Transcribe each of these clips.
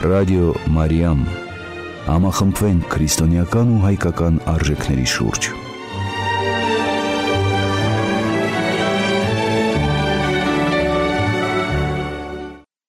Ռադիո Մարիամ, համախմբվենք քրիստոնեական ու հայկական արժեքների շուրջ։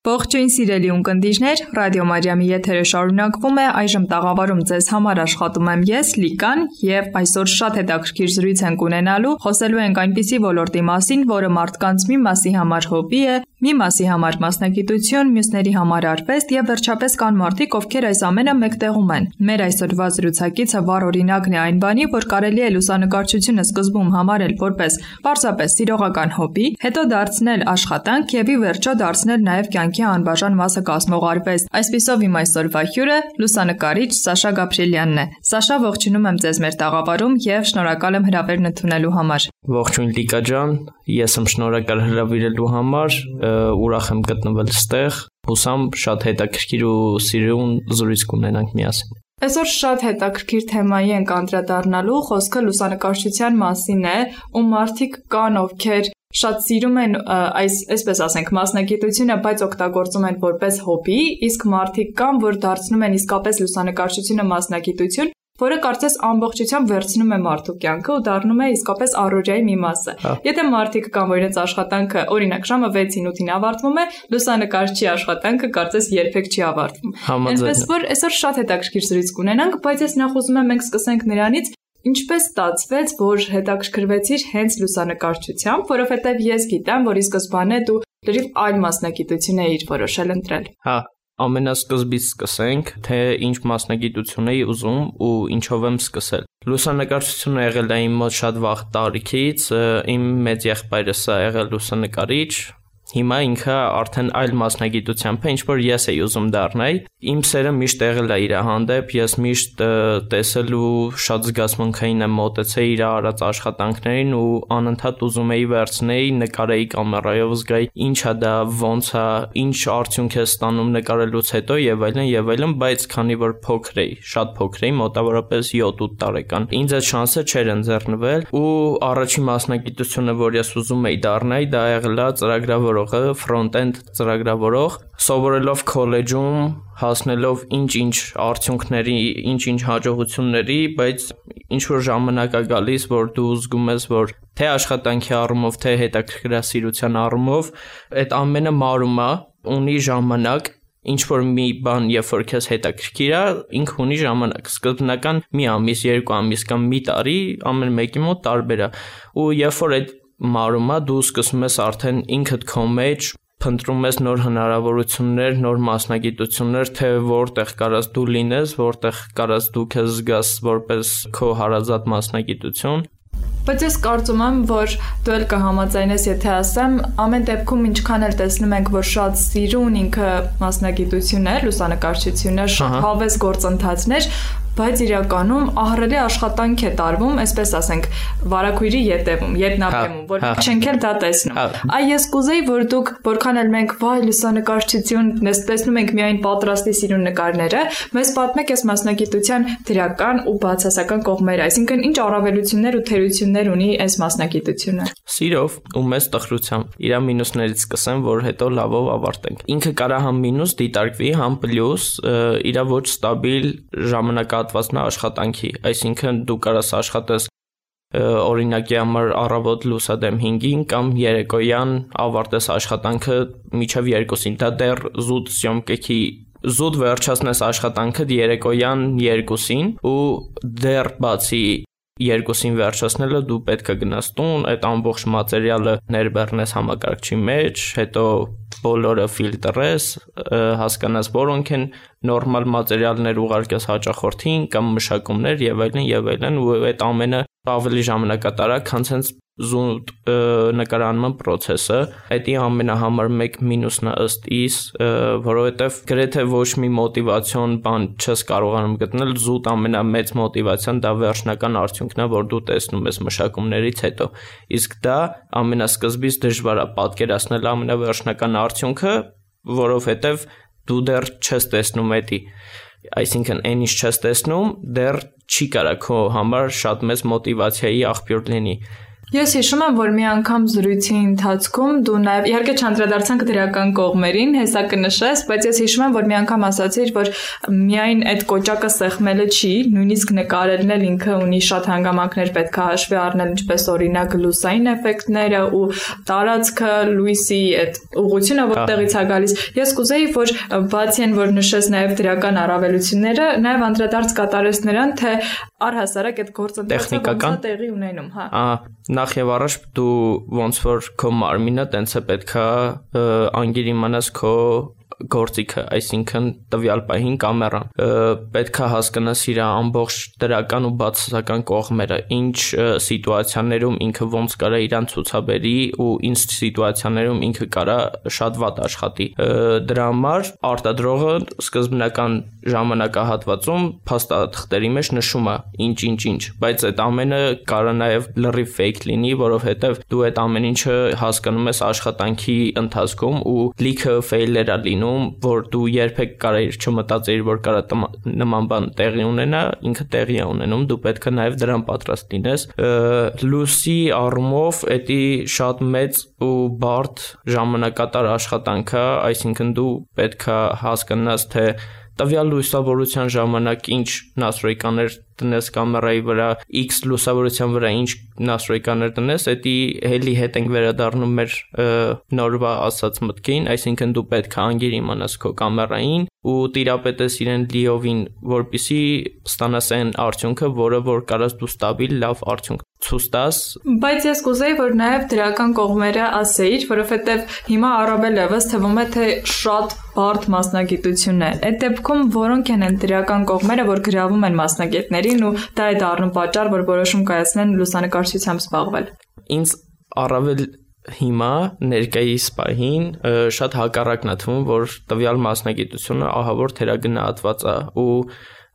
Ողջույն սիրելի ունկնդիրներ, Ռադիո Մարիամի եթերը շարունակվում է, այժմ տաղավարում ձեզ համար աշխատում եմ ես, Լիկան, եւ այսօր շատ հետաքրքիր զրույց ենք ունենալու, խոսելու ենք այնպիսի ոլորտի մասին, որը մարդկանց մի մասի համար հոբբի է, մի մասի համար մասնագիտություն, մյուսների համար արվեստ եւ վերջապես կան մարդիկ, ովքեր այս ամենը մեկտեղում են։ Մեր այսօրվա զրուցակիցը վառ օրինակն է այն բանի, որ կարելի է լուսանկարչությունը սկզբում համարել որպես պարզապես սիրողական հոբբի, հետո դարձնել աշխատանք եւ ի վերջո դարձնել նաեւ կյանքի անբաժան մասը կազմող արվեստ։ Այսպիսով իմ այսօրվա հյուրը լուսանկարիչ Սաշա Գաբրիելյանն է։ Սաշա, ողջունում եմ ձեզ մեր տաղավարում եւ շնորհակալ եմ հրավերն ընդունելու համար։ Ողջույն Լիկա ջան, ես եմ շնորհակալ հրավիրելու համար, ուրախ եմ գտնվել ստեղ, հուսամ շատ հետաքրքիր ու սիրուն զրույց կունենանք միասին։ Այսօր շատ հետաքրքիր թեմայի ենք անդրադառնալու, խոսքը լուսանկարչության մասին է, ու մարդիկ կան, ովքեր շատ սիրում են այսպես ասենք մասնագիտությունը, բայց օգտագործում են որպես հոբբի, իսկ մարդիկ կան, որ դարձնում են իսկապես լուսանկարչությունը մասնագիտություն, որը կարծես ամբողջությամբ վերցնում է մարդու կյանքը ու դառնում է իսկապես առօրյայի մի մասը։ Եթե մարդիկ կան, որ իրենց աշխատանքը, օրինակ, ժամը 6-ին 8-ին ավարտվում է, լուսանկարչի աշխատանքը կարծես երբեք չի ավարտվում։ Այնպես որ այսօր շատ հետաքրքիր զրույց կունենանք, բայց ես նախ ուզում եմ մենք սկսենք նրանից, ինչպես ստացվեց, որ հետաքրքրվեցիր հենց լուսանկարչությամբ, որովհետև ես գիտեմ, որ ի սկզբանե դու լրիվ այլ մասնագիտություն էիր որոշել ընտրել։ Ամենասկզբից սկսենք, թե ինչ մասնագիտություն էի ուզում ու ինչով եմ սկսել։ Լուսանկարչությունը եղել է իմ մոտ շատ վաղ տարիքից, իմ մեծ եղբայրս է եղել լուսանկարիչ, հիմա ինքը արդեն այլ մասնագիտությամբ է, ինչ որ ես էի ուզում դառնալ։ Իմ սերը միշտ եղել է իր հանդեպ, ես միշտ տեսել ու շատ զգացմունքային եմ մոտեցել իր արած աշխատանքներին ու անընդհատ ուզում էի վերցնել, նկարեի կամերայով, զգայի ինչա դա, ոնց է, ինչ արդյունք է ստանում նկարելուց հետո եւ այլն, բայց քանի որ փոքր էի, շատ փոքր էի, մոտավորապես 7-8 տարեկան, ինձ այդ շանսը չէր ընձեռնվել ու առաջին մասնագիտությունը, որ ես ուզում էի դառնալ, դա եղել է ծրագրավորողը, ֆրոնտ-էնդ ծրագրավորող, սովորելով քոլեջում, հասնելով ինչ-ինչ արդյունքների, ինչ-ինչ հաջողությունների, բայց ինչ-որ ժամանակ է գալիս, որ դու զգում ես, որ թե աշխատանքի առումով, թե հետաքրքրասիրության առումով, այդ ամենը մարում է, ունի ժամանակ, ինչ-որ մի բան, երբ որ քեզ հետաքրքիր է, ինքը ունի ժամանակ, սկզբնական մի ամիս, 2 ամիս կամ մի տարի, ամեն մեկի մոտ տարբեր է, ու երբ որ այդ մարում է, դու սկսում ես արդեն ինքդ քո մեջ փնտրում ես նոր հնարավորություններ, նոր մասնագիտություններ, թե որտեղ կարաս դու լինես, որտեղ կարաս դու քեզ զգաս որպես քո հարազատ մասնագիտություն։ Բայց ես կարծում եմ, որ դու էլ կհամաձայնես, եթե ասեմ, ամեն դեպքում ինչքան էլ տեսնում ենք, որ շատ սիրուն ինքը մասնագիտություն է, լուսանկարչությունը, շատ հավես գործընթացներ, բայց իրականում ահռելի աշխատանք է տարվում, այսպես ասենք, վարակույրի ետևում, ետնաբեմում, որ չենք էլ դա տեսնում։ Այ ես կուզեի, որ դուք, որքան էլ մենք վայ լուսանկարչություն տեսնում ենք միայն պատրաստի սիրուն նկարները, մեզ պատմեք այս մասնագիտության դրական ու բացասական կողմերը, այսինքն ինչ առավելություններ ու թերություններ ունի այս մասնագիտությունը։ Սիրով ու մեծ տխրությամբ։ Իրա մինուսներից սկսեմ, որ հետո լավով ավարտենք։ Ինքը կարա համ մինուս դիտարկվի, համ պլյուս, իրա ոչ ստաբիլ ժամանակահատվածն է աշխատանքի, այսինքն դու կարաս աշխատես օրինակի համար առավոտ լուսադեմ 5-ին կամ երեկոյան ավարտես աշխատանքը մինչև 2-ին, դա դեռ զուտ սյոմկեքի զուտ վերջացնես աշխատանքը երեկոյան 2-ին ու դեռ բացի 2-ին վերջացնելը դու պետք է գնաս տուն, այդ ամբողջ մատերիալը ներբեռնես համակարգչի մեջ, հետո բոլորը ֆիլտրես, հասկանաս որոնք են նորմալ մատերիալներ ուղարկես հաճախորդին կամ մշակումներ եւ այլն ու այդ ամենը ավելի ժամանակատար է, քան հենց զուտ նկարանման process-ը, այդ ամենահամար մեկ մինուսն է ըստ իս, որովհետև գրեթե ոչ մի մոտիվացիոն բան չես կարողանում գտնել, զուտ ամենամեծ մոտիվացիան դա վերջնական արդյունքն է, որ դու տեսնում ես մշակումներից հետո, իսկ դա ամենասկզբից դժվար է պատկերացնել ամենավերջնական արդյունքը, որովհետև դու դեռ չես տեսնում էդի, այսինքն այն ինչ չես տեսնում, դեռ չի կարա քո համար շատ մեծ մոտիվացիայի աղբյուր լինի։ Ես հիշում եմ, որ մի անգամ զրույցի ընթացքում դու նաև իհարկե չանդրադարձանք դրական կողմերին, հեսա կնշես, բայց ես հիշում եմ, որ մի անգամ ասացիր, որ միայն այդ կոճակը սեղմելը չի, նույնիսկ նկարելն էլ ինքը ունի շատ հանգամանքներ պետք է հաշվի առնել, ինչպես օրինակ լուսային էֆեկտները ու տարածքը, լույսի այդ ուղղությունը, որտեղից է գալիս։ Ես կուզեի, որ բացի այն, որ նշես նաև դրական առավելությունները, նաև անդրադարձ կատարես նրան, թե առհասարակ այդ գործընթացը ոնց է տեղի ունենում, հա։ Նախ եւ առաջ դու ոնց որ քո մարմինը տենց է պետքա անգիր իմանաս քո գործիքը, այսինքն տվյալ պահին կամերան պետքա հասկանաս իր ամբողջ դրական ու բացասական կողմերը, ինչ սիտուացիաներում ինքը ոնց կարա իրան ցուցաբերի ու ինչ սիտուացիաներում ինքը կարա շատ վատ աշխատի։ Դրա համար արտադրողը սկզբնական ժամանակահատվածում փաստաթղթերի մեջ նշում է ինչ, բայց այդ ամենը կարա նաև լրիվ fake լինի, որովհետև դու այդ ամեն ինչը հասկանում ես աշխատանքի ընթացքում ու լիքը fail-եր է լինում, որ դու երբեք կարայիր չմտածեիր, որ կարա նման բան տեղի ունենա, ինքը տեղի է ունենում, դու պետք է նաև դրան պատրաստ լինես։ Լույսի առումով էդի շատ մեծ ու բարդ ժամանակատար աշխատանք է, այսինքն դու պետք է հասկանաս, թե տվյալ լուսավորության ժամանակ ինչ նաստրոյկաներ տնես կամերայի վրա, X լուսավորության վրա ինչ նաստրոյկաներ տնես, էդի հելի հետ ենք վերադառնում մեր նորվա ասած մտքին, այսինքն դու պետք է անգիր իմանաս քո կամերային ու տիրապետես իրեն լիովին, որպեսզի ստանաս այն արդյունքը, որը որ կարաս դու ստաբիլ լավ արդյունք ցույց տաս։ Բայց ես կուզեի, որ նաև դրական կողմերը ասեիր, որովհետև հիմա առավել եւս թվում է, թե շատ բարդ մասնագիտություն է։ Այդ դեպքում որոնք են այն դրական կողմերը, որ գրավում են մասնագետներին ու դա է դառնում պատճառ, որ որոշում կայացնեն լուսանկարչությամբ զբաղվել։ Ինձ առավել հիմա ներկայիս պահին շատ հակառակն է թվում, որ տվյալ մասնագիտությունը ահավոր թերագնահատված է ու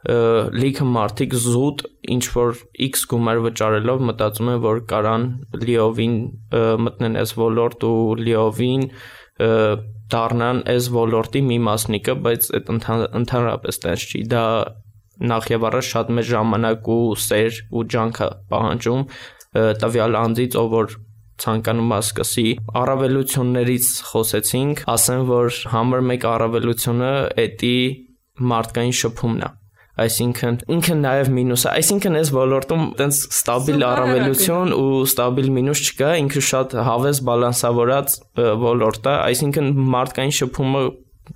լիքը մարդիկ զուտ ինչ որ X գումար վճարելով մտածում են, որ կարան լիովին մտնեն այս ոլորտ ու լիովին դառնան այս ոլորտի մի մասնիկը, բայց այդ ընդհանրապես տես չի, դա նախ եւ առաջ շատ մեծ ժամանակ ու սեր ու ջանք է պահանջում տվյալ անձից, ով որ ցանկանում է սկսի։ Առավելություններից խոսեցինք, ասեմ, որ համար մեկ առավելությունը էդի մարդկային շփումն է, այսինքն ինքը նաև մինուս է, այսինքն այս ոլորտում տենց ստաբիլ առավելություն ու ստաբիլ մինուս չկա, ինքը շատ հավես բալանսավորած ոլորտ է, այսինքն մարդկային շփումը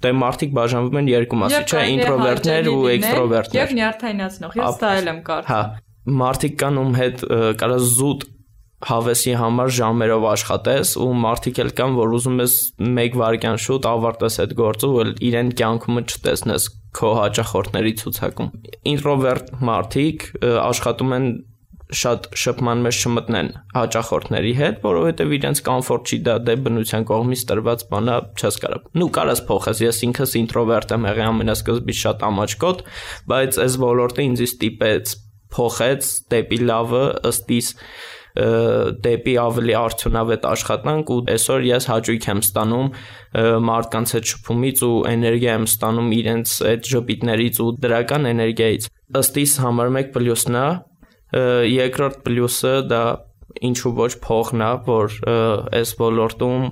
դե մարդիկ բաժանվում են երկու մասի, չէ, ինտրովերտներ ու էքստրովերտներ։ Եվ նյարդայնացնող, ես դա էլ եմ կարծում։ Հա, մարդիկ կան ում հետ կարա զուտ հավեսի համար ժամերով աշխատես ու մարդիկ էլ կան, որ ուզում ես 1 վայրկյան շուտ ավարտես այդ գործը ու իրեն կյանքում չտեսնես քո հաճախորդների ցուցակում։ Ինտրովերտ մարդիկ աշխատում են շատ շփման մեջ չմտնեն հաճախորդների հետ, որովհետև իրենց կոմֆորտ չի, դա դե բնության կողմից տրված բան է, չես կարող։ Նու կարաս փոխես, ես ինքս ինտրովերտ եմ եղել ամենասկզբից շատ ամաչկոտ, բայց այս ոլորտը ինձ ստիպեց փոխեց դեպի լավը, ըստ իս դեպի ավելի արդյունավետ աշխատանք ու այսօր ես հաճույք եմ ստանում մարդկանց հետ շփումից ու էներգիա եմ ստանում իրենց այդ ժպիտներից ու դրական էներգիայից։ Ըստ իս համար մեկ պլյուսն է, երկրորդ պլյուսը դա ինչու ոչ փողն է, որ այս ոլորտում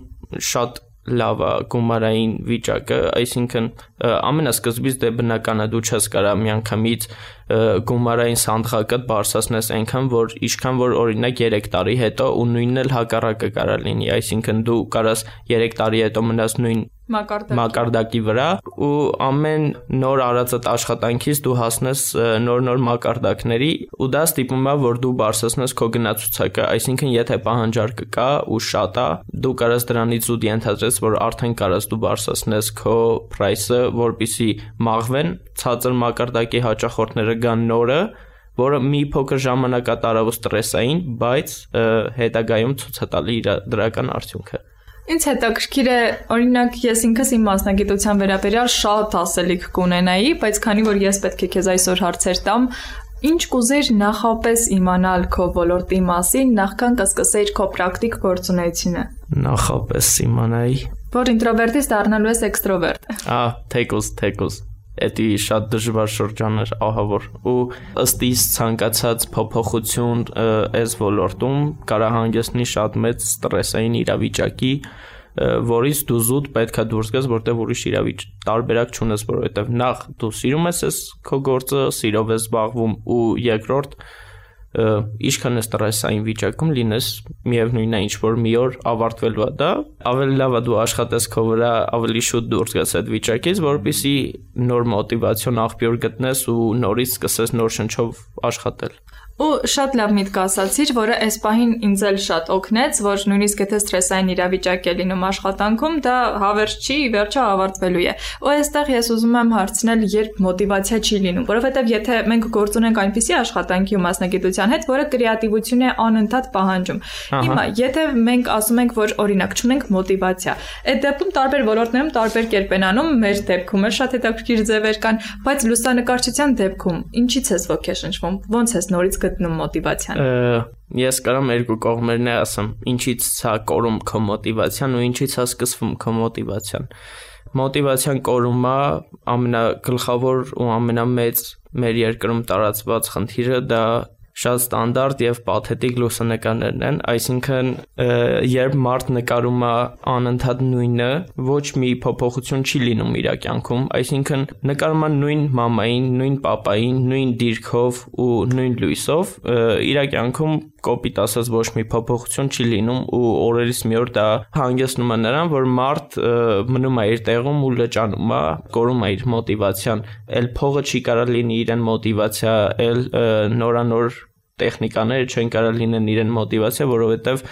շատ լավ է գումարային վիճակը, այսինքն ամենասկզբից դե բնական է դու չես կարա միանգամից գումարային սանդղակը բարձրացնես այնքան, որ ինչքան որ օրինակ 3 տարի հետո ու նույնն էլ հակառակը կարա լինի, այսինքն դու կարաս 3 տարի հետո մնաս նույն մակարդակի վրա ու ամեն նոր արածդ աշխատանքից դու հասնես նոր մակարդակների ու դա ստիպում է, որ դու բարձրացնես քո գնացուցակը, այսինքն եթե պահանջարկը կա ու շատ է, դու կարաս դրանից ու ենթադրես, որ արդեն կարաս դու բարձրացնես քո price-ը, որպեսզի մաղվեն ցածր մակարդակի հաճախորդները գան նորը, որը մի փոքր ժամանակատարավոր ստրեսային, բայց հետագայում ցույց է տալի իր դրական արդյունքը։ Ինձ հետաքրքիր է, օրինակ ես ինքս իմ մասնագիտության վերաբերյալ շատ ասելիք կունենայի, բայց քանի որ ես պետք է քեզ այսօր հարցեր տամ, ինչ կուզեիր նախապես իմանալ քո ոլորտի մասին, նախքան կսկսեիր քո պրակտիկ գործունեությունը։ Նախապես իմանայի, որ ինտրովերտից դառնալու ես էքստրովերտ։ Թեկուզ։ Էդի շատ դժվար շրջան էր ահավոր ու ըստ իս ցանկացած փոփոխություն այս ոլորտում կարա հանգեցնի շատ մեծ ստրեսային իրավիճակի, որից դու զուտ պետքա դուրս գաս, որտեղ ուրիշ տարբերակ չունես, որովհետև նախ դու սիրում ես այս քո գործը, սիրով ես զբաղվում ու երկրորդ ինչքան է ստրեսային վիճակում լինես, միևնույնն է ինչ որ մի օր ավարտվելու է դա, ավելի լավ է դու աշխատես քո վրա, ավելի շուտ դուրս գաս այդ վիճակից, որպեսզի նոր մոտիվացիոն աղբյուր գտնես ու նորից սկսես նոր շնչով աշխատել։ Ու շատ լավ միտք ասացիր, որը այս պահին ինձ էլ շատ օգնեց, որ նույնիսկ եթե ստրեսային իրավիճակ է լինում աշխատանքում, դա հավերժ չի, վերջը ավարտվելու է։ Ու այստեղ ես ուզում եմ հարցնել, երբ մոտիվացիա չի լինում, որովհետև եթե մենք գործ ունենք այնպիսի աշխատանքի ու մասնագիտության հետ, որը կրեատիվություն է անընդհատ պահանջում։ Հիմա, եթե մենք ասում ենք, որ օրինակ չունենք մոտիվացիա, այդ դեպքում տարբեր ոլորտներում տարբեր կերպ են անում, մեր դեպքում էլ շատ հետաքրքիր ձևեր կան, բայց լուսանկարչության դեպքում ինչից ես ոգեշնչվում, ոնց ես նորից գտնում մոտիվացիան։ Ես կարամ երկու կողմերն է ասեմ, ինչից ցա կորում քո մոտիվացիան ու ինչից է սկսվում քո մոտիվացիան։ Մոտիվացիան կորումը ամենագլխավոր ու ամենամեծ մեր երկրում տարածված խնդիրը դա շատ ստանդարտ եւ պաթետիկ լուսանկարներն են, այսինքն երբ մարդ նկարում է անընդհատ նույնը, ոչ մի փոփոխություն չի լինում իր կյանքում, այսինքն նկարում է նույն մամային, նույն պապային, նույն դիրքով ու նույն լույսով, իր կյանքում կոպիտ ասած ոչ մի փոփոխություն չի լինում ու օրերից մի օր դա հանգեցնում է նրան, որ մարդ մնում է իր տեղում ու լճանում է, կորում է իր մոտիվացիան, էլ փողը չի կարա լինի իրեն մոտիվացիա, էլ նորանոր տեխնիկաները չեն կարա լինեն իրեն մոտիվացիա, որովհետև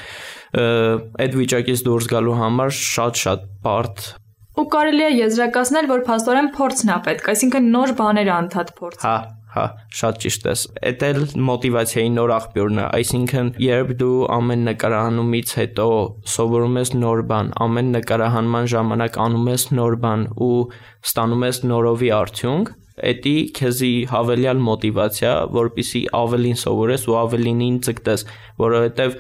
այդ վիճակից դուրս գալու համար շատ բարդ ու կարելի է եզրակացնել, որ փաստորեն փորձն է պետք, այսինքն նոր բաներ անդադ փորձ։ Հա, շատ ճիշտ ես։ Էդ էլ մոտիվացիայի նոր աղբյուրն է, այսինքն երբ դու ամեն նկարահանումից հետո սովորում ես նոր բան, ամեն նկարահանման ժամանակ անում ես նոր բան ու ստանում ես նորովի արդյունք, էդի քեզի հավելյալ մոտիվացիա, որպեսզի ավելին սովորես ու ավելինին ձգտես, որովհետև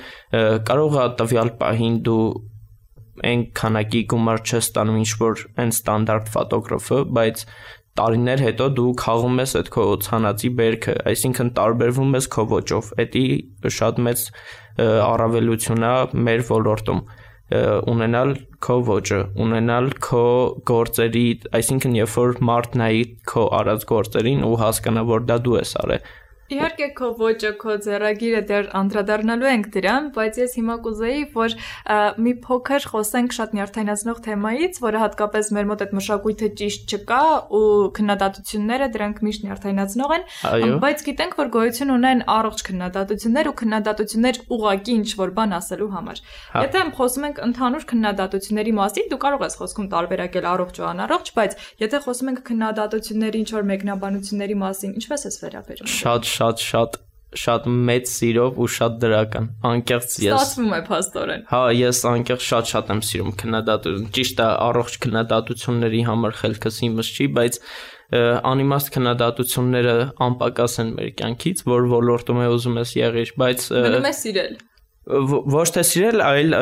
կարող է տվյալ պահին դու այն քանակի գումար չես ստանում ինչ որ այն ստանդարտ ֆոտոգրաֆը, բայց տարիներ հետո դու քաղում ես այդ քո ցանածի բերքը, այսինքն տարբերվում ես քո ոճով, էդի շատ մեծ առավելություն է մեր ոլորտում ունենալ քո ոճը, ունենալ քո գործերի, այսինքն երբ որ մարդ նայի քո արած գործերին ու հասկանա, որ դա դու ես արել։ Իհարկե քո ոճը, քո ձեռագիրը դեռ անդրադառնալու ենք դրան, բայց ես հիմա կուզեի, որ մի փոքր խոսենք շատ նյարդայնացնող թեմայից, որը հատկապես մեր մոտ այդ մշակույթը ճիշտ չկա ու քննադատությունները դրանք միշտ նյարդայնացնող են, բայց գիտենք, որ գոյություն ունեն առողջ քննադատություններ ու քննադատություններ ուղղակի ինչ որ բան ասելու համար։ Եթե խոսում ենք ընդհանուր քննադատությունների մասին, դու կարող ես խոսքում տարբերակել առողջ ու անառողջ, բայց եթե խոսում ենք քննադատությունների ինչ որ մեկնաբանությունների մասին, ինչպես ես վերաբերում։ Շատ մեծ սիրով ու շատ դրական, անկեղծ ես։ Ստացվում է փաստորեն։ Հա, ես անկեղծ շատ եմ սիրում քննադատություն, ճիշտ է, առողջ քննադատությունների համար խելքս իմս չի, բայց անիմաստ քննադատությունները անպակաս են մեր կյանքից, որ ոլորտում է ուզում ես եղիր, բայց մնում է սիրել։ Ոչ թե սիրել, այլ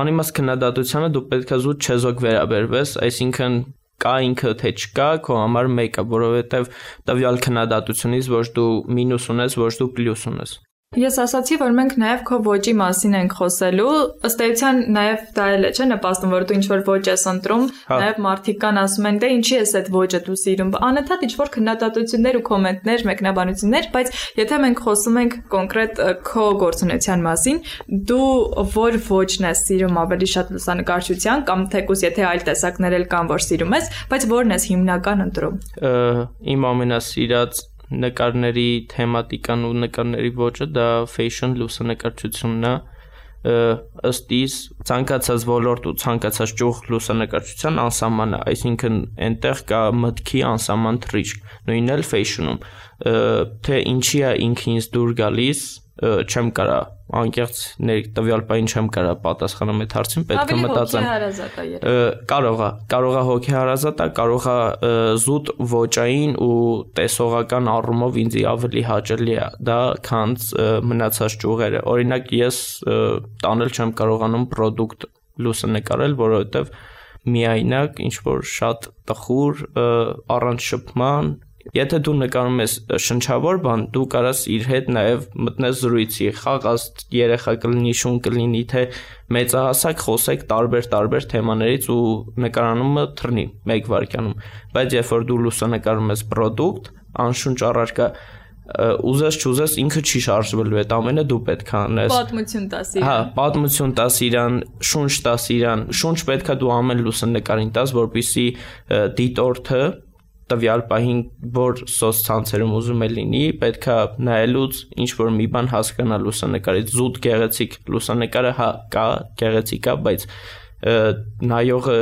անիմաստ քննադատությանը դու պետք է զուտ չեզոք վերաբերվես, այսինքն կա ինքը թե չկա, քո համար մեկը, որովհետև տվյալ քննադատությունից ոչ դու մինուս ունես, ոչ դու պլյուս ունես։ Ես ասացի, որ մենք նաև քո ոճի մասին ենք խոսելու, ըստ էության նաև դա էլ է, չէ՞, նպաստում, որ դու ինչ-որ ոճ ես ընտրում, նաև մարդիկ կան ասում են, դե ինչի ես այդ ոճը դու սիրում, անընդհատ ինչ-որ քննադատություններ ու կոմենտներ, մեկնաբանություններ, բայց եթե մենք խոսում ենք կոնկրետ քո գործունեության մասին, դու որ ոճն ես սիրում ավելի շատ լուսանկարչության կամ թեկուզ եթե այլ տեսակներ էլ կան, որ սիրում ես, բայց որն ես հիմնական ընտրում։ Իմ ամենասիրած նկարների թեմատիկան ու նկարների ոճը դա fashion լուսանկարչությունն է, ըստ իս ցանկացած ոլորտ ու ցանկացած ճյուղ լուսանկարչության անսահման է, այսինքն այնտեղ կա մտքի անսահման թռիչք, նույնն էլ fashion-ում, թե ինչի է ինքը ինձ դուր գալիս, չեմ կարա անկեղծ տվյալ պահին չեմ կարա պատասխանեմ այդ հարցին, պետք է մտածեմ։ Կարող է հոգեհարազատ է, կարող է զուտ ոճային ու տեսողական առումով ինձ ավելի հաճելի է դա, քան մնացած ճյուղերը։ Օրինակ ես տանել չեմ կարողանում պրոդուկտ լուսանկարել, որովհետև միայնակ, ինչ որ շատ տխուր, առանց շփման։ Եթե դու նկարում ես շնչավոր բան, դու կարաս իր հետ նաև մտնես զրույցի, խաղաս, երեխա կլինի, շուն կլինի, թե մեծահասակ խոսեք տարբեր թեմաներից ու նկարանումը թռնի 1 վայրկյանում։ Բայց երբ որ դու լուսանկարում ես product, անշունչ առարկա, ուզես չուզես ինքը չի շարժվելու, այդ ամենը դու պետք է անես։ Պատմություն տաս իրան։ Հա, պատմություն տաս իրան, շունչ տաս իրան, շունչ պետք է դու ամեն լուսանկարին տաս, որպեսզի դիտորդը տվյալ պահին որ սոցցանցերում ուզում է լինի, պետք է նայելուց ինչ որ մի բան հասկանա լուսանկարից, զուտ գեղեցիկ լուսանկարը հա կա, գեղեցիկ է, բայց նայողը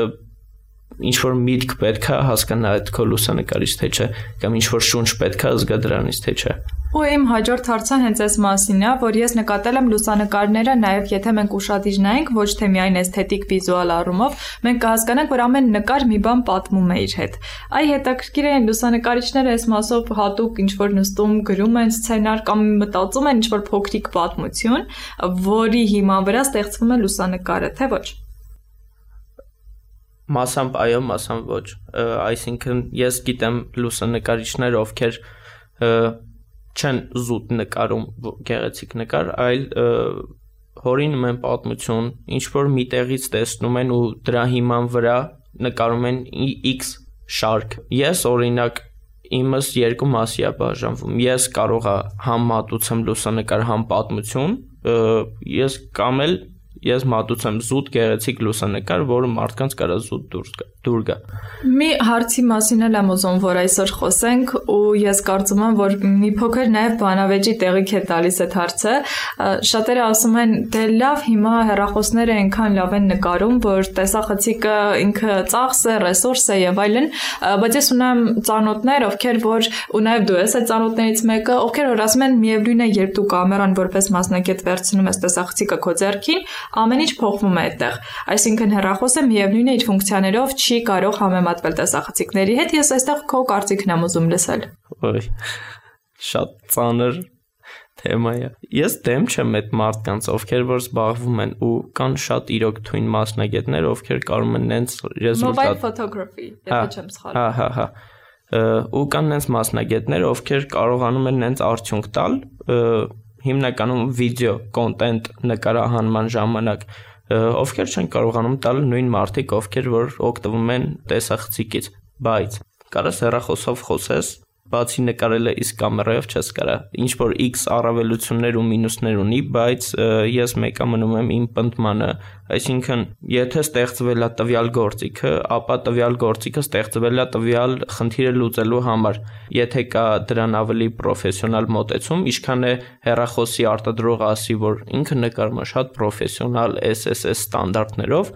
ինչ որ միտք պետք է հասկանա այդ քո լուսանկարից թե չէ, կամ ինչ որ շունչ պետք է զգա դրանից թե չէ։ Ու իմ հաջորդ հարցը հենց այս մասին է, որ ես նկատել եմ լուսանկարները, նաև եթե մենք ուշադիր նայենք, ոչ թե միայն էսթետիկ վիզուալ առումով, մենք կհասկանանք, որ ամեն նկար մի բան պատմում է իր հետ։ Այ հետաքրքիր է լուսանկարիչները այս մասով հատուկ ինչ որ նստում գրում են սցենար կամ մտածում են ինչ որ փոքրիկ պատմություն, որի հիման վրա ստեղծվում է լուսանկարը, թե ոչ։ Մասամբ այո, մասամբ ոչ։ Այսինքն ես գիտեմ լուսանկարիչներ, ովքեր չեն զուտ նկարում գեղեցիկ նկար, այլ հորինում են պատմություն, ինչ որ մի տեղից տեսնում են ու դրա հիման վրա նկարում են X շարք։ Ես օրինակ իմս 2 մասի է բաժանվում։ Ես կարող եմ մատուցեմ լուսանկար, համ պատմություն, ես մատուցեմ զուտ գեղեցիկ լուսանկար, որը մարդկանց կարա զուտ դուր գա։ Մի հարցի մասին էլ եմ ուզում, որ այսօր խոսենք, ու ես կարծում եմ, որ մի փոքր նաև բանավեճի տեղիք է տալիս այդ հարցը։ Շատերը ասում են, դե լավ, հիմա հեռախոսները այնքան լավ են նկարում, որ տեսախցիկը ինքը ծախս է, ռեսուրս է եւ այլն, բայց ես ունեմ ծանոթներ, ովքեր որ ու նաև դու ես այդ ծանոթներից մեկը, ովքեր որ ասում են, միևնույն է, երբ դու կամերան որպես մասնակետ վերցնում ես տեսախցիկը քո ձեռքին, ամեն ինչ փոխվում է այդտեղ։ Այսինքն հեռախոսը միևնույն է իր ֆունկցիաներով չի կարող համեմատվել տեսախցիկների հետ։ Ես այստեղ քո կարծիքն եմ ուզում լսել։ Ոյ, շատ ծանր թեմա է։ Ես դեմ չեմ այդ մարդկանց, ովքեր որ զբաղվում են ու կան շատ իրոք թույն մասնագետներ, ովքեր կարող են նենց ռեզուլտատ Mobile photography, եթե չեմ սխալվում։ Հա։ Ու կան նենց մասնագետներ, ովքեր կարողանում են նենց արդյունք տալ, հիմնականում վիդեո կոնտենտ նկարահանման ժամանակ, ովքեր չեն կարողանում տալ նույն մարդիկ, ովքեր որ օգտվում են տեսախցիկից, բայց կարաս հեռախոսով խոսես, բացի նկարելը իսկ կամերայով չես կարա, ինչ որ X առավելություններ ու մինուսներ ունի, բայց ես մեկը մնում եմ իմ պնդմանը, այսինքն եթե ստեղծվել է տվյալ գործիքը, ապա տվյալ գործիքը ստեղծվել է տվյալ խնդիրը լուծելու համար, եթե կա դրան ավելի պրոֆեսիոնալ մոտեցում, ինչքան է հեռախոսի արտադրողը ասի, որ ինքը նկարում է շատ պրոֆեսիոնալ SSS ստանդարտներով,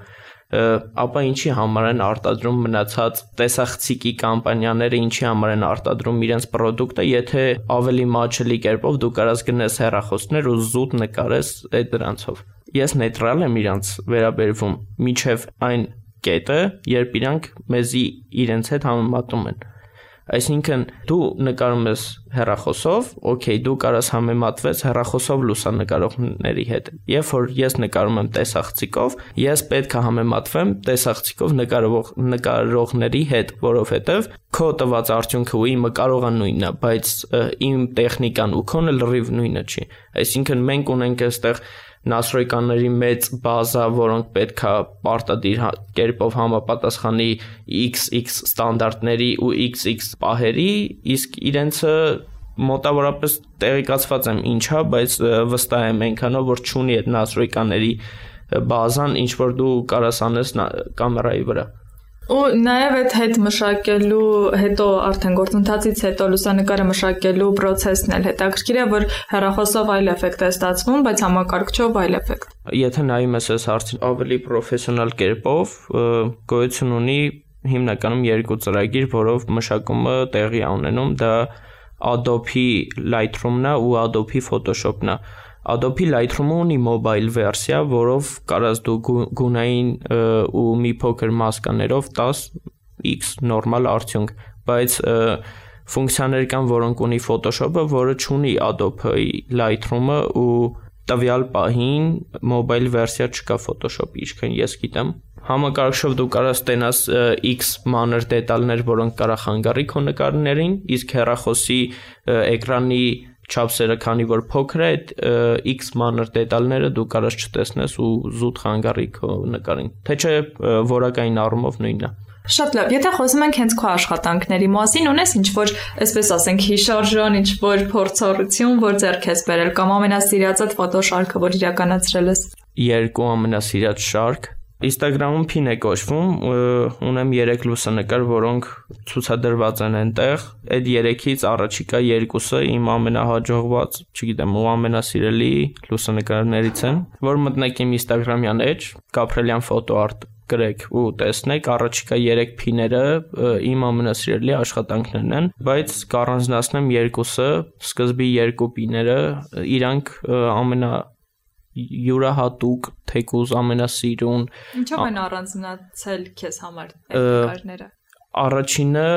ապա ինչի համար են արտադրում մնացած տեսախցիկի կամպանիաները, ինչի համար են արտադրում իրենց պրոդուկտը, եթե ավելի մաչելի կերպով դու կարաս գնես հեռախոսներ ու զուտ նկարես այդ դրանցով։ Ես նեյտրալ եմ իրանց վերաբերվում, միջև այն կետը, երբ իրանք մեզի իրենց հետ համեմատում են։ Այսինքն դու նկարում ես հեռախոսով, օքեյ, դու կարաս համեմատվես հեռախոսով լուսանկարողների հետ։ Երբ որ ես նկարում եմ տեսախցիկով, ես պետք է համեմատվեմ տեսախցիկով նկարողների հետ, որովհետև քո տված արդյունքը ու իմը կարող է նույնն է, բայց իմ տեխնիկան ու քոնը լրիվ նույնը չի։ Այսինքն մենք ունենք այստեղ նասրոյկանների մեծ բազա, որոնք պետք է պարտադիր կերպով համապատասխանի XX ստանդարտների ու XX պահերի, իսկ իրենցը մոտավորապես տեղեկացված եմ ինչա, բայց վստահ եմ այնքանով, որ չունի այդ նասրոյկաների բազան, ինչ որ դու կարաս անես կամերայի վրա։ Ու նաև այդ հետ մշակելու հետո արդեն գործընթացից հետո լուսանկարը մշակելու process-ն էլ հետաքրքիր է, որ հեռախոսով այլ էֆեկտ է ստացվում, բայց համակարգչով այլ էֆեկտ։ Եթե նայում ես այս հարցին ավելի պրոֆեսիոնալ կերպով, գոյություն ունի հիմնականում 2 ծրագիր, որով մշակումը տեղի է ունենում, դա Adobe Lightroom-ն է ու Adobe Photoshop-ն է։ Adobe Lightroom-ը ունի mobile վերսիա, որով կարաս դու գունային ու մի փոքր մասկաներով 10x նորմալ արդյունք, բայց ֆունկցիաներ կան, որոնք ունի Photoshop-ը, որը չունի Adobe Lightroom-ը ու տվյալ պահին mobile վերսիա չկա Photoshop-ի, ինչքան ես գիտեմ։ Համակարգչով դու կարաս տենաս X մանր դետալներ, որոնք կարող խանգարի քո նկարներին, իսկ հեռախոսի էկրանի չափսերը, քանի որ փոքր է, այդ X մանր դետալները դու կարաս չտեսնես ու զուտ խանգարի քո նկարին։ Թե չէ որակային առումով նույնն է։ Շատ լավ։ Եթե խոսում ենք հենց քո աշխատանքների մասին, ունես ինչ-որ, այսպես ասենք, հիշարժան, ինչ-որ փորձառություն, որ ձեռք ես բերել կամ ամենասիրածդ ֆոտոշարքը, որ իրականացրել ես։ Երկու ամենասիրած շարք Instagram-ում Pin է կոչվում, ունեմ 3 լուսանկար, որոնք ցուցադրված են այնտեղ։ Այդ 3-ից առաջիկա 2-ը իմ ամենահաջողված, չգիտեմ, ու ամենասիրելի լուսանկարներից են, որ մտնեք իմ Instagram-յան էջ, Կապրելյան ֆոտոարտ գրեք ու տեսնեք, առաջիկա 3 Pin-երը իմ ամենասիրելի աշխատանքներն են, բայց կառանձնացնեմ 2-ը, սկզբի 2 Pin-երը, իրանք յուրահատուկ, թեկուզ ամենասիրուն։ Ինչով են առանձնացել քեզ համար այդ նկարները։ Առաջինը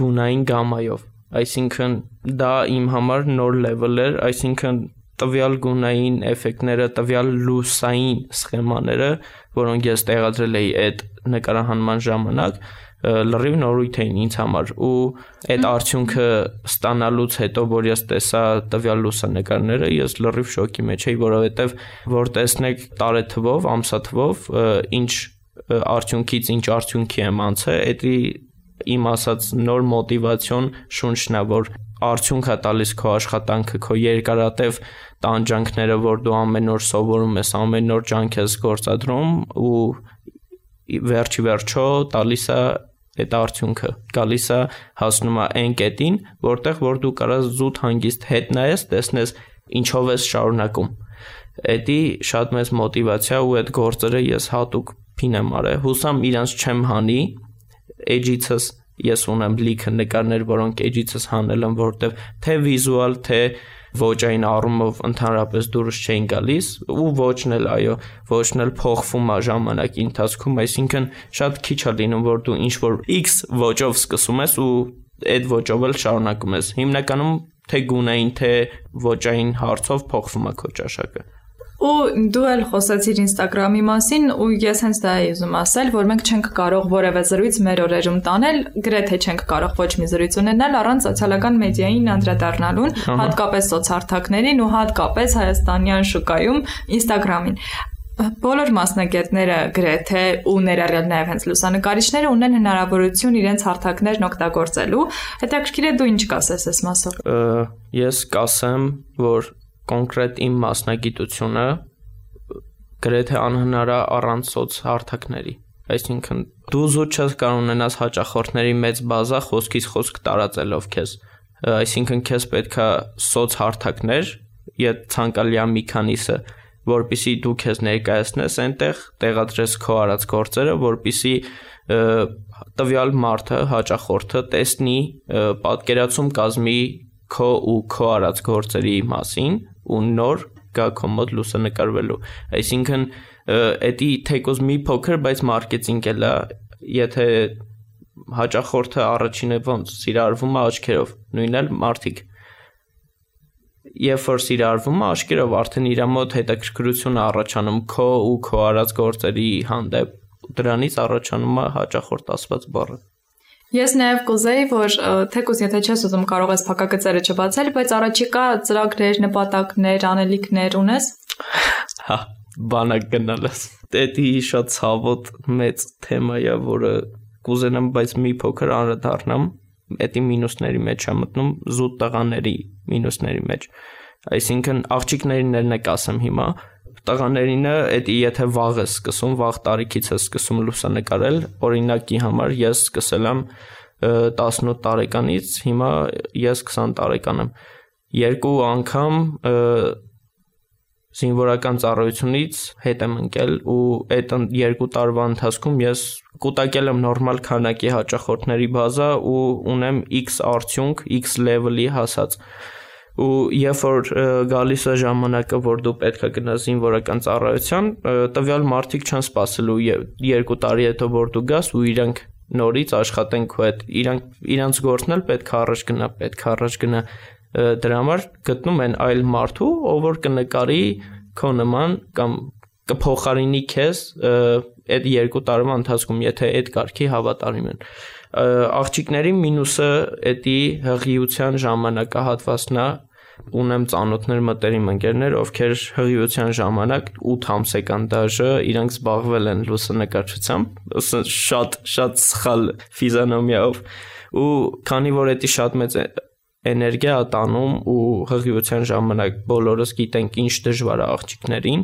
գունային գամայով, այսինքն դա իմ համար նոր level էր, այսինքն տվյալ գունային էֆեկտները, տվյալ լուսային սխեմաները, որոնք ես տեղադրել էի այդ նկարահանման ժամանակ, լրիվ նորույթ էին ինձ համար ու այդ արդյունքը ստանալուց հետո, որ ես տեսա տվյալ լուսանկարները, ես լրիվ շոկի մեջ էի, որովհետև որ տեսնեք տարեթվով, ամսաթվով, ինչ արդյունքից ինչ արդյունքի եմ անցել, դա իմ ասած նոր մոտիվացիոն շունչն է, որ արդյունք է տալիս քո աշխատանքը, քո երկարատև տանջանքները, որ դու ամեն օր սովորում ես, ամեն օր ջանք ես գործադրում ու վերջի վերջո տալիս է այդ արդյունքը, գալիս է հասնում է այն կետին, որտեղ որ դու կարաս զուտ հանգիստ հետ նայես, տեսնես ինչով ես շարունակում։ Դա շատ մեծ մոտիվացիա ու այդ գործերը ես հատուկ Pin եմ արել, հուսամ իրանց չեմ հանի, edge-ից ես ունեմ լիքը նկարներ, որոնք edge-ից հանել եմ, որտեղ թե վիզուալ, թե ոճային առումով ընդհանրապես դուրս չէին գալիս ու ոճն էլ, այո, ոճն էլ փոխվում է ժամանակի ընթացքում, այսինքն շատ քիչ է լինում, որ դու ինչ-որ X ոճով սկսում ես ու այդ ոճով էլ շարունակում ես։ Հիմնականում թե գունային, թե ոճային հարցով փոխվում է քո ճաշակը։ Ու դու էլ խոսեցիր Instagram-ի մասին ու ես հենց դա էի ուզում ասել, որ մենք չենք կարող որևէ զրույց մեր օրերում տանել, գրեթե չենք կարող ոչ մի զրույց ունենալ առանց սոցիալական մեդիային անդրադառնալուն, հատկապես սոցհարթակներին ու հատկապես հայաստանյան շուկայում Instagram-ին։ Բոլոր մասնագետները գրեթե ու ներառյալ նաև հենց լուսանկարիչները ունեն հնարավորություն իրենց հարթակներն օգտագործելու։ Հետաքրքիր է դու ինչ կասես այս մասով։ Ես կասեմ, որ կոնկրետ իմ մասնագիտությունը գրեթե անհնար է առանց սոցհարթակների։ Այսինքն դու զուտ չես կարող ունենաս հաճախորդների մեծ բազա խոսքից խոսք տարածելով քեզ։ Այսինքն քեզ պետքա սոցհարթակներ, եթե ցանկալի է մի քանիսը, որպեսզի դու քեզ ներկայացնես այնտեղ, տեղադրես քո արած գործերը, որպեսզի տվյալ մարդը, հաճախորդը տեսնի, պատկերացում կազմի քո ու քո արած գործերի մասին ու նոր գա քո մոտ լուսանկարվելու։ Այսինքն դա թեկուզ մի փոքր, բայց մարքեթինգ էլ է, եթե հաճախորդը առաջինը ոնց սիրարվում է աչքերով, նույնն էլ մարդիկ։ Երբ որ սիրարվում է աչքերով, արդեն իր մոտ հետաքրքրություն է առաջանում քո ու քո արած գործերի հանդեպ, դրանից առաջանում է հաճախորդ ասված բառը։ Ես նաև կուզեի, որ թեկուզ եթե չես ուզում կարող ես փակագծերը չբացել, բայց առաջիկա ծրագրեր, նպատակներ, անելիքներ ունես։ Հա, բանակ գնալս։ Դա շատ ցավոտ մեծ թեմա է, որը կուզենամ, բայց մի փոքր անդրադառնամ, դա մինուսների մեջ է մտնում, զուտ տղաների մինուսների մեջ։ Այսինքն աղջիկներին ասեմ հիմա, տղաներինը եթե վաղ ես սկսում, վաղ տարիքից ես սկսում լուսանկարել, օրինակի համար ես սկսել եմ 18 տարեկանից, հիմա ես 20 տարեկան եմ։ Երկու անգամ զինվորական ծառայությունից հետ եմ ընկել ու այդ 2 տարվա ընթացքում ես կուտակել եմ նորմալ քանակի հաճախորդների բազա ու ունեմ X արդյունք, X level-ի հասած։ Ու երբ որ գալիս է ժամանակը, որ դու պետք է գնաս զինվորական ծառայության, տվյալ մարդիկ չեն սպասելու 2 տարի հետո որ դու գաս ու իրանք նորից աշխատեն քո հետ, իրանց գործն էլ պետք է առաջ գնա, դրա համար գտնում են այլ մարդու, ով որ կնկարի քո նման կամ կփոխարինի քեզ այդ 2 տարվա ընթացքում եթե այդ կարգի հավատարիմ են։ Աղջիկների մինուսը էդի հղիության ժամանակահատվածն է, ունեմ ծանոթներ մտերիմ ընկերներ, ովքեր հղիության ժամանակ 8 ամսական դաժը իրանք զբաղվել են լուսանկարչությամբ, շատ սխալ ֆիզիոնոմիայով, ու քանի որ էդի շատ մեծ էներգիա տանում ու հղիության ժամանակ բոլորս գիտենք ինչ դժվար է աղջիկներին,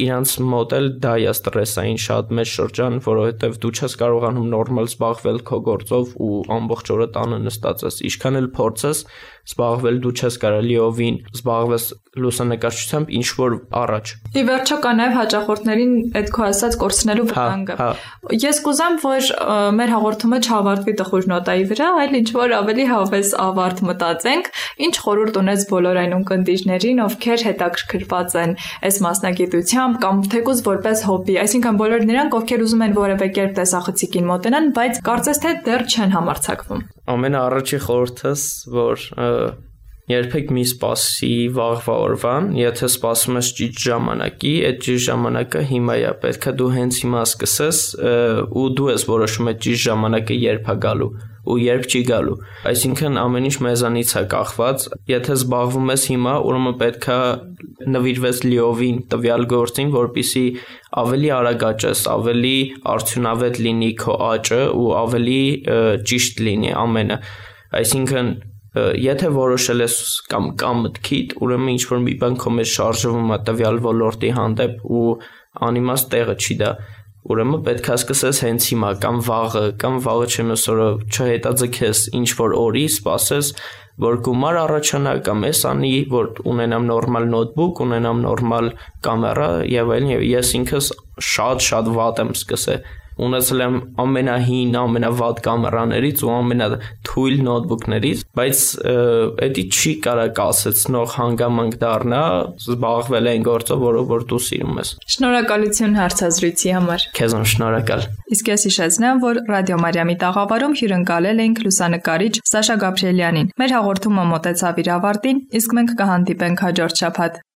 իրանց մոտ էլ դա է ստրեսային շատ մեծ շրջան, որովհետև դու չես կարողանում նորմալ զբաղվել քո գործով ու ամբողջ օրը տանը նստած ես, ինչքան էլ փորձես զբաղվել դու չես կարող լիովին զբաղվես լուսանկարչությամբ ինչ որ առաջ։ Ի վերջո կա նաև հաճախորդներին այդ քո ասած կորցնելու վտանգը։ Ես կուզեմ, որ մեր հաղորդումը չավարտվի տխուր նոտայի վրա, այլ ինչ որ ավելի հավես ավարտ մտածենք, ինչ խորհուրդ ունես բոլոր այն ունկնդիրներին, ովքեր հետաքրքրված են այս մասնագիտությամբ կամ թեկուզ որպես հոբբի, այսինքն բոլոր նրանք, ովքեր ուզում են որևէ կերպ տեսախցիկին մոտենան, բայց կարծես թե դեռ չեն համարձակվում։ Ամենաառաջի խորհուրդս, որ երբեք մի սպասի վաղվա օրվան, եթե սպասում ես ճիշտ ժամանակի, այդ ճիշտ ժամանակը հիմա է, պետք է դու հենց հիմա սկսես ու դու ես որոշում այդ ճիշտ ժամանակը երբ է գալու ու երբ չի գալու։ Այսինքն ամեն ինչ մեզանից է կախված, եթե զբաղվում ես հիմա, ուրեմն պետք է նվիրվես լիովին տվյալ գործին, որպեսզի ավելի արագ աճես, ավելի արդյունավետ լինի քո աճը ու ավելի ճիշտ լինի ամենը։ Այսինքն եթե որոշել ես կամ մտքիդ, ուրեմն ինչ որ մի բան քո մեջ շարժվում է տվյալ ոլորտի հանդեպ ու անիմաստ տեղը չի դա, ուրեմն պետք է սկսես հենց հիմա կամ վաղը չնոս օրը չհետաձգես ինչ որ օրի, սպասես որ գումար առաջանա կամ էս անի, որ ունենամ նորմալ նոթբուք, ունենամ նորմալ կամերա եւ այլն, եւ ես ինքս շատ վատ եմ սկսել ունեցել եմ ամենահին, ամենավատ կամերաներից ու ամենաթույլ նոթբուքներից, բայց էդի չի կարա կասեցնող հանգամանք դառնա զբաղվել այն գործով, որ դու սիրում ես։ Շնորհակալություն հարցազրույցի համար։ Քեզ շնորհակալ։ Իսկ ես հիշեցնեմ, որ Ռադիո Մարիամի տաղավարում հյուրընկալել ենք լուսանկարիչ Սաշա Գաբրիելյանին։ Մեր հաղորդումը մոտեցավ իր ավարտին, իսկ մենք կհանդիպենք հաջորդ շաբաթ։